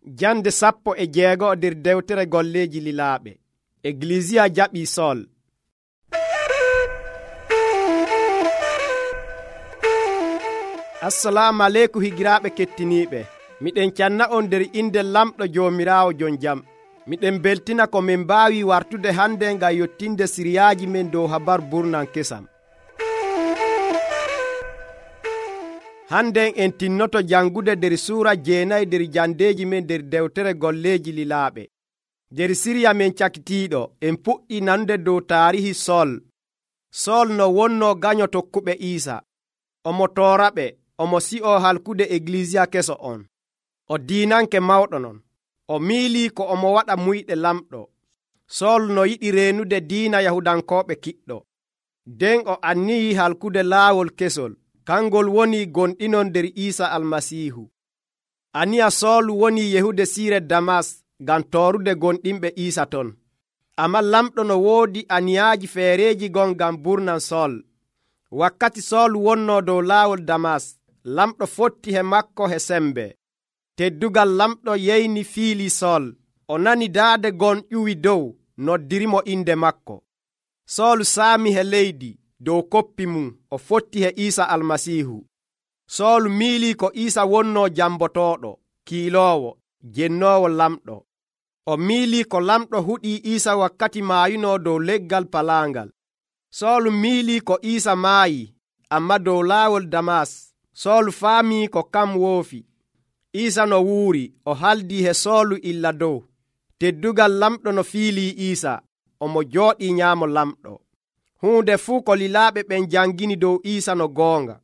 Jande 16 nder dewtere golleeji lilaaɓe. Eglisiya jaɓii Sol. Assalamu aleykum higiraaɓe kettiniiɓe. Miɗen canna on nder inde lamɗo Joomiraawo jon jam. Miɗen beltina ko min mbaawi wartude hande ngam yottinde siriyaaji men dow habaru burnan kesam. Hande en tinnoto jangude nder suura 9 nder jandeeji men nder dewtere golleeji lilaaɓe. Nder siriya men cakitiiɗo en puɗɗi nanude dow taarihi Sol. Sol no wonno ganyo tokkuɓe Iisa. Omo tooraɓe, omo si'o halkude eglisiya keso on. O diinanke mawɗo non. O miilii ko omo waɗa muyɗe lamɗo. Sol no yiɗi reenude diina Yahudankooɓe kiɗɗo. Nden o annii halkude laawol kesol. Kangol woni gonɗinon nder Iisa Almasiihu. Aniya Sol woni yehude siire Damas ngam toorude gonɗinɓe Iisa ton. Ammaa lamɗo no woodi aniyaaji feereeji gon ngam burnan Sol. Wakkati Sol wonnoo dow laawol Damas, lamɗo fotti he makko he sembe. Teddugal lamɗo yeyni fiili Sol. O nani daade gon ƴuwi dow, noddirimo inde makko. Sol saami he leydi. Dow koppi mum o fotti he Iisa Almasiihu. Sol miilii ko Iisa wonnoo jambotooɗo, kiiloowo, jennoowo lamɗo. O miilii ko lamɗo huɗii Iisa wakkati maayunoo dow leggal palaangal. Sol miilii ko Iisa maayi, ammaa dow laawol Damas. Sol faamii ko kam woofi. Iisa no wuuri, o haldii he Soolu illa dow. Teddugal lamɗo no fiilii Iisa, omo jooɗii nyaamo lamɗo. Huunde fuu ko lilaaɓe ɓen jangini dow Iisa no goonga.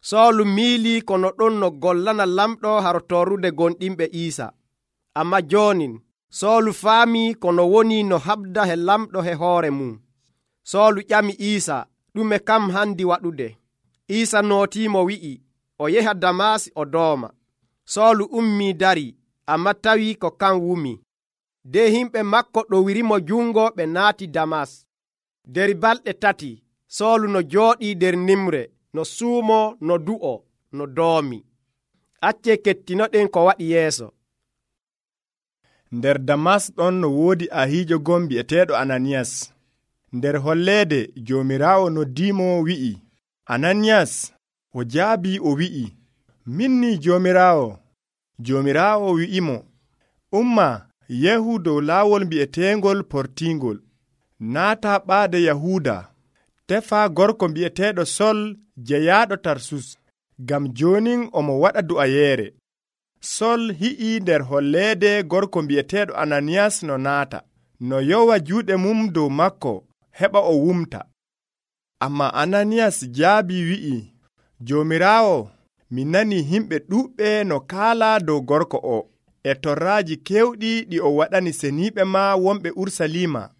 Soolu miilii kono ɗon no gollana lamɗo haro torrude gonɗinɓe Iisa. Ammaa joonin, Soolu faamii kono woni no haɓda he lamɗo he hoore mum. Soolu ƴami Iisa, ɗume kam handi waɗude? Iisa nootiimo wi'i, o yeha Damas o dooma. Soolu ummii darii, ammaa tawii ko kan wumi. De himɓe makko ɗowirimo jungo ɓe naati Damas. Der balɗe 3, Soolu no jooɗii nder nimre, no suumoo, no du'o, no doomi. Accee kettinoɗen ko waɗi yeeso. Nder Damas ɗon no woodi ahiijo gon bi'eteeɗo Ananiyas. Nder holleede Joomiraawo noddiimo wi'i, Ananiyas. O jaabii o wi'i, minni Joomiraawo. Joomiraawo wi'imo, umma yehu dow laawol bi'eteengol portiingol. Naata ɓaade Yahuuda, tefa gorko bi'eteeɗo Sol jeyaaɗo Tarsus, ngam joonin omo waɗa du'ayeere. Sol hi'ii nder holleede gorko bi'eteeɗo Ananiyas no naata, no yowa juuɗe mum dow makko heɓa o wumta. Ammaa Ananiyas jaabii wi'i, Joomiraawo, mi nanii himɓe ɗuuɓɓe no kaalaa dow gorko o, e torraaji keewɗi ɗi o waɗani seniiɓe maa wonɓe Urusalima.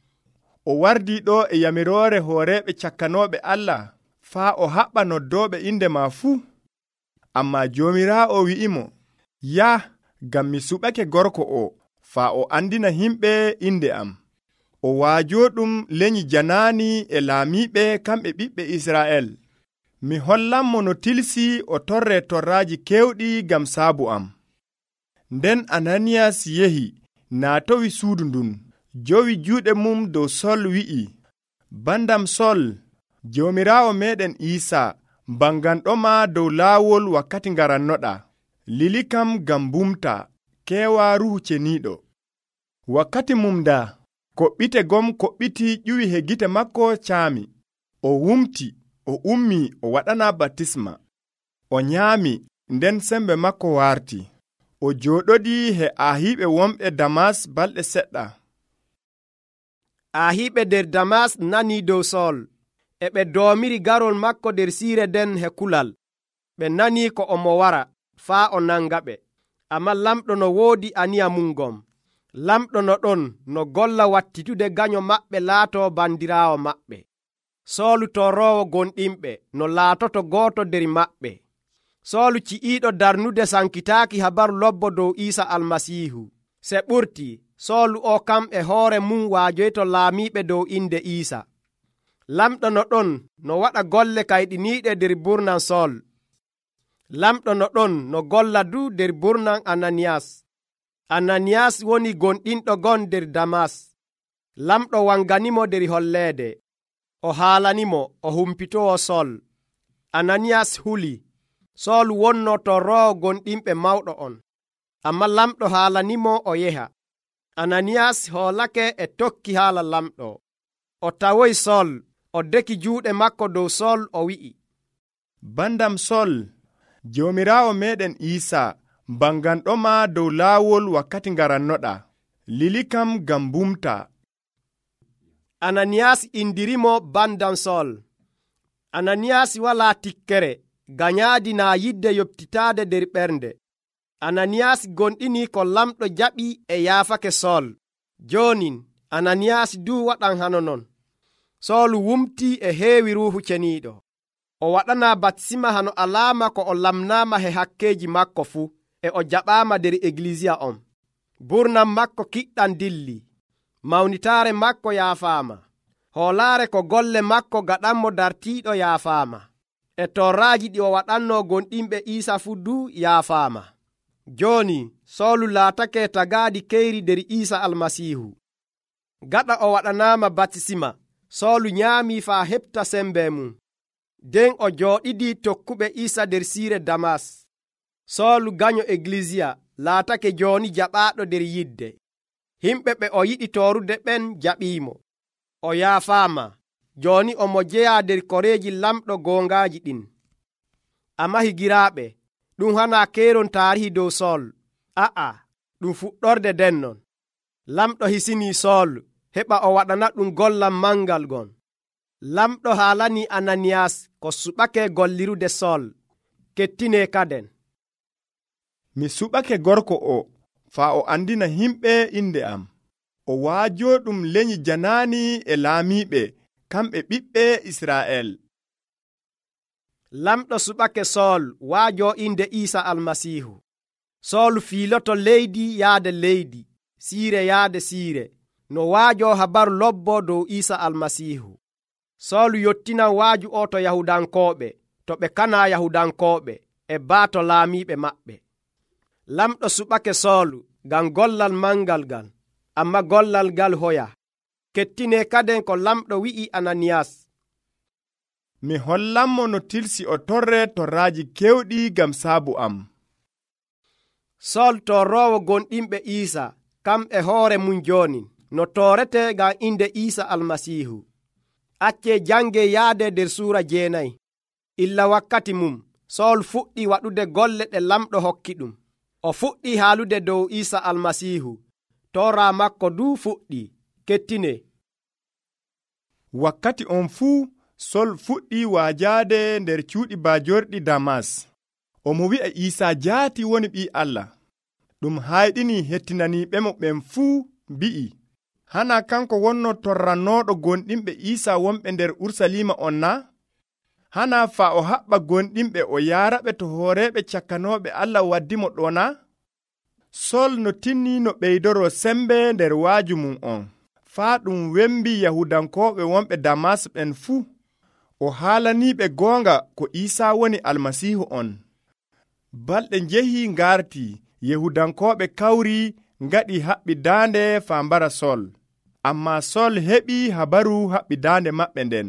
O wardii ɗo e yamiroore hooreeɓe cakkanooɓe Allah faa o haɓɓa noddooɓe inde maa fuu. Ammaa Joomiraawo wi'imo, yah, ngam mi suɓake gorko o faa o andina himɓe inde am. O waajooɗum lenyi janaani e laamiiɓe kamɓe ɓiɓɓe Israa'el. Mi hollanmo no tilsii o torree torraaji keewɗi ngam saabu am. Nden Ananiyas yehi naatowi suudu ndun. Jowi juuɗe mum dow Sol wi'i, bandam Sol, Joomiraawo meeɗen Iisa banganɗoma dow laawol wakkati ngarannoɗa. Lilikam ngam bumta, keewa Ruuhu Ceniiɗo. Wakkati mum da, koɓɓite gom koɓɓiti ƴuwi he gite makko caami. O wumti, o ummi o waɗana baptisma. O nyaami, nden sembe makko warti. O jooɗodii he ahiiɓe wonɓe Damas balɗe seɗɗa. Ahiiɓe nder Damas nanii dow Sol, e ɓe doomiri garol makko nder siire nden he kulal. Ɓe nanii ko omo wara, faa o nangaɓe. Ammaa lamɗo no woodi aniya mum gom. Lamɗo no ɗon no golla wattitude ganyo maɓɓe laatoo bandiraawo maɓɓe. Soolu torroowo gonɗinɓe no laatoto gooto nder maɓɓe. Soolu ci'iiɗo darnude sankitaaki habaru lobbo dow Iisa Almasiihu. Se ɓurtii, Soolu o kam e hoore mum waajoyto laamiiɓe dow inde Iisa. Lamɗo no ɗon no waɗa golle kayɗiniiɗe nder burnan Sol. Lamɗo no ɗon no golla du nder burnan Ananiyas. Ananiyas woni gonɗinɗo gon nder Damas. Lamɗo wanganimo nder holleede. O haalanimo o humpitowo Sol. Ananiyas huli. Sol wonno torroowo gonɗinɓe mawɗo on. Amma lamɗo haalanimo o yeha. Ananiyas hoolake e tokki haala lamɗo. O tawoyi Sol. O deki juuɗe makko dow Sol o wi'i, bandam Sol, Joomiraawo meeɗen Iisaa banganɗoma dow laawol wakkati ngarannoɗa. Lilikam ngam bumta. Ananiyas indirimo bandam Sol. Ananiyas walaa tikkere, ganyaadi naa yidde yoɓtitaade nder ɓernde. Ananiyas gonɗini ko lamɗo jaɓi e yaafake Sol. Joonin Ananiyas duu waɗan hano non. Sol wumti e heewi Ruuhu Ceniiɗo. O waɗana batisima hano alaama ko o lamnaama he hakkeeji makko fuu, e o jaɓaama nder Egilisiya on. Burnam makko kiɗɗam dilli. Mawnitaare makko yaafaama. Hoolaare ko golle makko gaɗanmo dartiiɗo yaafaama. E torraaji ɗi o waɗanno gonɗinɓe Iisaa fuu duu yaafaama. Jooni Soolu laatake tagaaɗi keyri nder Iisaa Almasiihu. Gaɗa o waɗanaama batisima, Soolu nyaamii faa heɓta sembe mum. Den o jooɗidii tokkuɓe Iisaa nder siire Damas. Soolu ganyo Egilisiya laatake jooni jaɓaaɗo nder yidde. Himɓe ɓe o yiɗi toorude ɓen jaɓiimo. O yaafaama. Jooni omo jeyaa nder koreeji lamɗo goongaaji ɗin. Amma higiraaɓe, ɗum hanaa keeron taarihi dow Sol. A'a, ɗum fuɗɗorde dennon. Lamɗo hisinii Sol heɓa o waɗana ɗum gollal mangal gon. Lamɗo haalanii Ananiyas ko suɓake gollirude Sol. Kettine kaden. Mi suɓake gorko o faa o andina himɓe inde am. O waajo ɗum lenyi janaani e laamiiɓe, kamɓe ɓiɓɓe Israa'el. Lamɗo suɓake Sol waajo inde Iisaa Almasiihu. Sol fiiloto leydi yaade leydi, siire yaade siire, no waajo habaru lobbo dow Iisaa Almasiihu. Sol yottinan waaju o to Yahudankooɓe, to ɓe kanaa Yahudankooɓe, e baato laamiiɓe maɓɓe. Lamɗo suɓake Sol ngam gollal mangal ngal, amma gollal ngal hoya. Kettine kaden ko lamɗo wi'i Ananiyas. Mi hollanmo no tilsi o torre torraaji kewɗi ngam saabu am. Sol torroowo gonɗinɓe Iisaa, kam e hoore mum jooni, no toorete ngam inde Iisaa Almasiihu. Acce jange yaade nder suura 9. Illa wakkati mum, Sol fuɗɗi waɗude golle ɗe lamɗo hokki ɗum. O fuɗɗi haalude dow Iisaa Almasiihu. Toora makko duu fuɗɗi. Kettine. Wakkati on fuu Sol fuɗɗi waajaade nder cuuɗi baajorɗi Damas. Omo wi'a Iisaa jaati woni ɓii Allah. Ɗum hayɗini hettinaniiɓemo ɓen fuu mbi'i, hana kanko wonno torrannooɗo gonɗinɓe Iisaa wonɓe nder Urusalima on na? Hana faa o haɓɓa gonɗinɓe o yaaraɓe to hooreeɓe cakkanooɓe Allah waddimo ɗo na? Sol no tinni no ɓeydoro sembe nder waaju mum on, faa ɗum wembi Yahudankooɓe wonɓe Damas ɓen fuu. O haalaniiɓe goonga ko Iisaa woni Almasiihu on. Balɗe njehi ngarti, Yahudankooɓe kawri ngaɗi haɓɓi daande faa mbara Sol. Ammaa Sol heɓi habaru haɓɓi daande maɓɓe nden.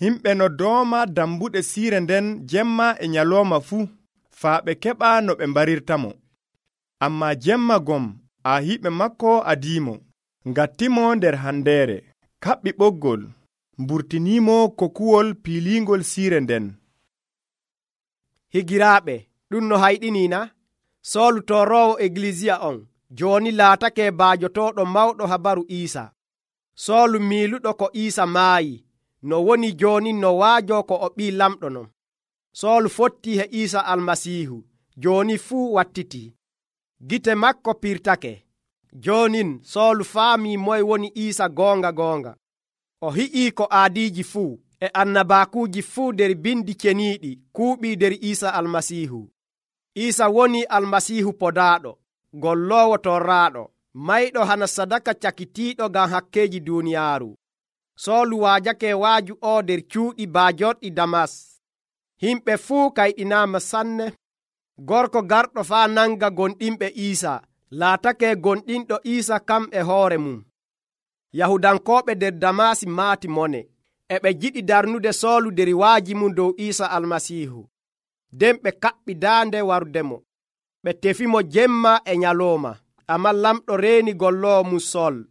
Himɓe no dooma dambuɗe siire nden jemma e nyalooma fuu, faa ɓe keɓa no ɓe mbarirtamo. Ammaa jemma gom ahiiɓe makko adiimo, ngattimo nder handeere, kaɓɓi ɓoggol, mburtiniimo kokuwol piiliingol siire nden. Higiraaɓe, ɗum no hayɗiniina? Soolu torroowo Egilisiya on, jooni laatake baajotooɗo mawɗo habaru Iisaa. Soolu miiluɗo ko Iisaa maayi, no woni jooni no waajo ko o ɓii lamɗo non. Soolu fotti he Iisaa Almasiihu, jooni fuu wattitii. Gite makko pirtake. Joonin Soolu faamii moye woni Iisaa goonga goonga. O hi'ii ko aadiiji fuu e annabaakuuji fuu nder bindi ceniiɗi kuuɓii nder Iisaa Almasiihu. Iisaa woni Almasiihu podaaɗo, golloowo torraaɗo, mayɗo hana sadaka cakitiiɗo ngam hakkeeji duuniyaaru. Soolu waajake waaju o nder cuuɗi baajorɗi Damas. Himɓe fuu kayɗinaama sanne. Gorko garɗo faa nanga gonɗinɓe Iisaa laatake gonɗinɗo Iisa kam e hoore mum. Yahudankooɓe nder Damasi maati mone, e ɓe jiɗi darnude Soolu der waaji mum dow Iisa Almasiihu. Nden ɓe kaɓɓi daande warudemo. Ɓe tefimo jemma e nyalooma, ammaa lamɗo reeni golloowo mum Sol.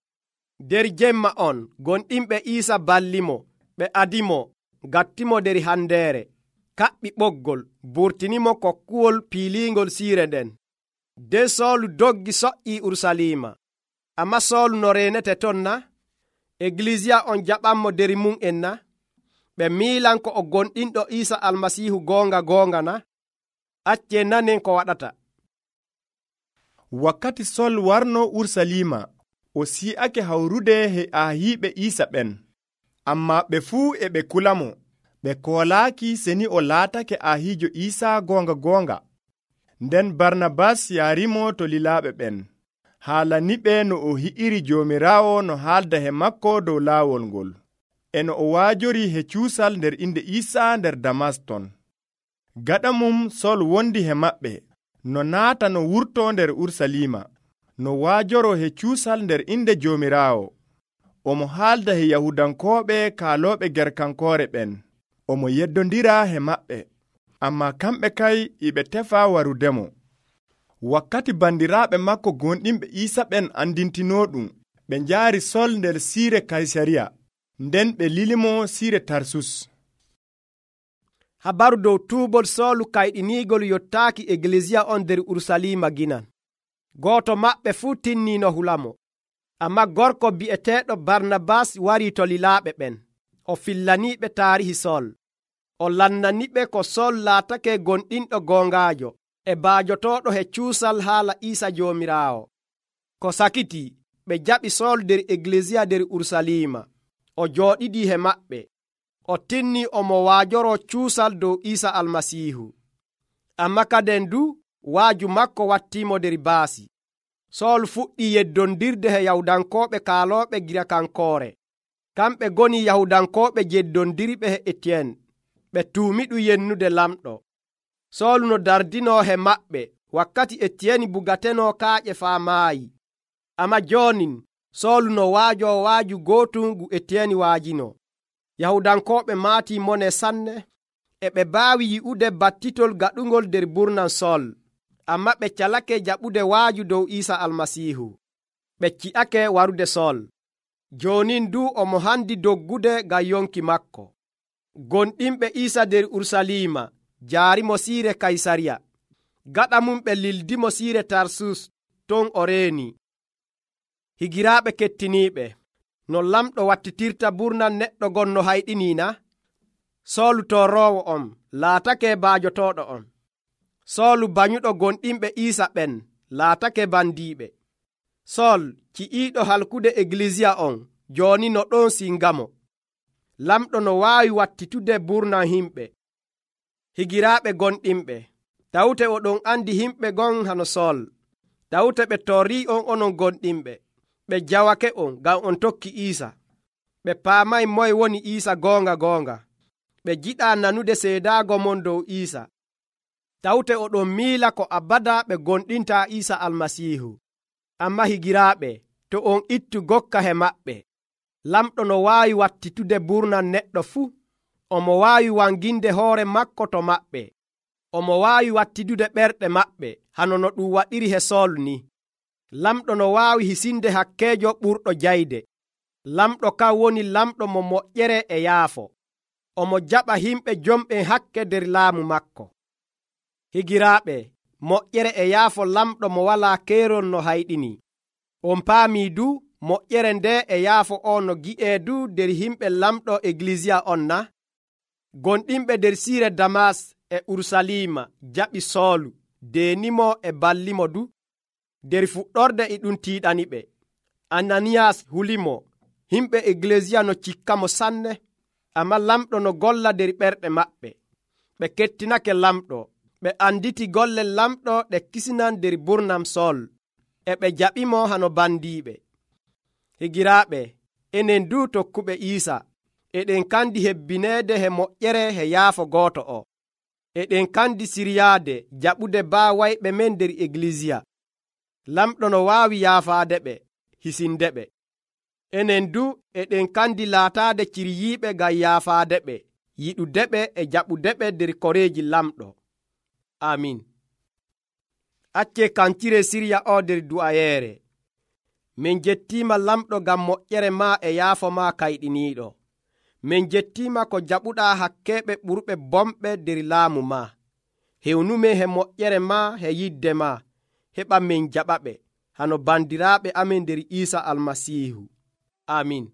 Der jemma on gonɗinɓe Iisa ballimo, ɓe adimo, gattimo der handeere, kaɓɓi ɓoggol, burtinimo kokkuwol piiliingol siire nden. Nden Soolu doggi so''ii Urusalima. Ammaa Soolu no reenete ton na? Egilisiya on jaɓanmo der mum en na? Ɓe miilan ko o gonɗinɗo Iisa Almasiihu goonga na? Accee nanen ko waɗata. Wakkati Sol warno Urusalima, o si'ake hawrude he ahiiɓe Iisa ɓen, ammaa ɓe fuu e ɓe kulamo. Ɓe koolaaki seni o laatake ahiijo Iisa goonga. Nden Barnabas yaarimo to lilaaɓe ɓen, haalaniɓe no o hi'iri Joomiraawo no haalda he makko dow laawol ngol, e no o waajori he cuusal nder inde Iisa nder Damaston. Gaɗa mum Sol wondi he maɓɓe, no naata no wurto nder Urusalima, no waajoro he cuusal nder inde Joomiraawo. Omo haalda he Yahudankooɓe kaalooɓe gerkankoore ɓen, omo yeddondira he maɓɓe, ammaa kamɓe kay iɓe tefa warudemo. Wakkati bandiraaɓe makko gonɗinɓe Iisa ɓen andintinoɗum, ɓe njaari Sol nder siire Kaysariya, nden ɓe lilimo siire Tarsus. Habaru dow tuubol Soolu kayɗiniigol yottaaki Egilisiya on nder Urusalima ginan. Gooto maɓɓe fuu tinniino hulamo. Ammaa gorko bi'eteeɗo Barnabas warii to lilaaɓe ɓen. O fillaniiɓe taarihi Sol. O lannaniɓe ko Sol laatake gonɗinɗo goongaajo e baajotooɗo he cuusal haala Iisa Joomiraawo. Ko sakitii, ɓe jaɓi Sol nder Egilisiya nder Urusalima. O jooɗidii he maɓɓe. O tinnii omo waajoroo cuusal dow Iisa Almasiihu. Ammaa kaden du waaju makko wattiimo nder baasi. Sool fuɗɗii yeddondirde he Yahudankooɓe kaalooɓe girakankoore. Kamɓe ngoni Yahudankooɓe jeddondirɓe he Etiyen. Ɓe tuumiɗu yennude lamɗo. Soolu no dardinoo he maɓɓe wakkati Etiyeni bugatenoo kaaƴe faa maayi. Ammaa joonin Soolu no waajoo waaju gootum ngu Etiyeni waajino. Yahudankooɓe maatii mone sanne, e ɓe baawi yi'ude battitol gaɗungol nder burnan Sol. Ammaa ɓe calake jaɓude waaju dow Iisa Almasiihu. Ɓe ci'ake warude Sol. Joonin du omo handi doggude ngam yonki makko. Gonɗinɓe Iisa nder Urusalima jaarimo siire Kaysariya. Gaɗa mum ɓe lildimo siire Tarsus, ton o reeni. Higiraaɓe kettiniiɓe, no lamɗo wattitirta burnan neɗɗo gonno hayɗiniina? Soolu torroowo on laatake baajotooɗo on. Soolu banyuɗo gonɗinɓe Iisa ɓen laatake bandiiɓe. Sol ci'iiɗo halkude Egilisiya on jooni no ɗon singamo. Lamɗo no waawi wattitude burnan himɓe. Higiraaɓe gonɗinɓe, tawte oɗon andi himɓe gon hano Sol. Tawte ɓe torrii on onon gonɗinɓe. Ɓe jawake on ngam on tokki Iisa. Ɓe paamay moye woni Iisa goonga. Ɓe jiɗaa nanude seedaago mon dow Iisa. Tawte oɗon miila ko abada ɓe gonɗintaa Iisa Almasiihu. Ammaa higiraaɓe, to on ittu gokka he maɓɓe. Lamɗo no waawi wattitude burnan neɗɗo fuu. Omo waawi wanginde hoore makko to maɓɓe. Omo waawi wattidude ɓerɗe maɓɓe hano no ɗum waɗiri he Sool ni. Lamɗo no waawi hisinde hakkeejo ɓurɗo jayde. Lamɗo kan woni lamɗo mo moƴƴere e yaafo. Omo jaɓa himɓe jomɓen hakke nder laamu makko. Higiraaɓe, moƴƴere e yaafo lamɗo mo walaa keerol no hayɗini. On paamii du moƴƴere nde e yaafo on no gi'ee du nder himɓe lamɗo Egilisiya on na? Gonɗinɓe nder siire Damas e Urusalima jaɓi Soolu, deenimo e ballimo du. Der fuɗɗorde e ɗum tiiɗaniɓe. Ananiyas hulimo, himɓe Egilisiya no cikkamo sanne, ammaa lamɗo no golla nder ɓerɗe maɓɓe. Ɓe kettinake lamɗo. Ɓe anditi golle lamɗo ɗe kisinan nder burnam Sol, e ɓe jaɓimo hano bandiiɓe. Higiraaɓe, enen du tokkuɓe Iisa, eɗen kandi hebbineede he moƴƴere he yaafo gooto o. Eɗen kandi siryaade jaɓude baawayɓe men nder Egilisiya. lamɗo no waawi yaafaade ɓe hisinde ɓe. Enen du eɗen kandi laataade ciryiiɓe ngam yaafaade ɓe, yiɗude ɓe e jaɓude ɓe nder koreeji lamɗo. Amin. Accee kancire sirya o nder du'ayeere. Min jettiima lamɗo ngam moƴƴere maa e yaafo maa kayɗiniiɗo. Min jettiima ko jaɓuɗaa hakkeeɓe ɓurɓe bomɓe nder laamu maa. Hewnumen he moƴƴere maa he yidde maa, heɓa min jaɓaɓe, hano bandiraaɓe amin nder Iisa Almasiihu. Amin.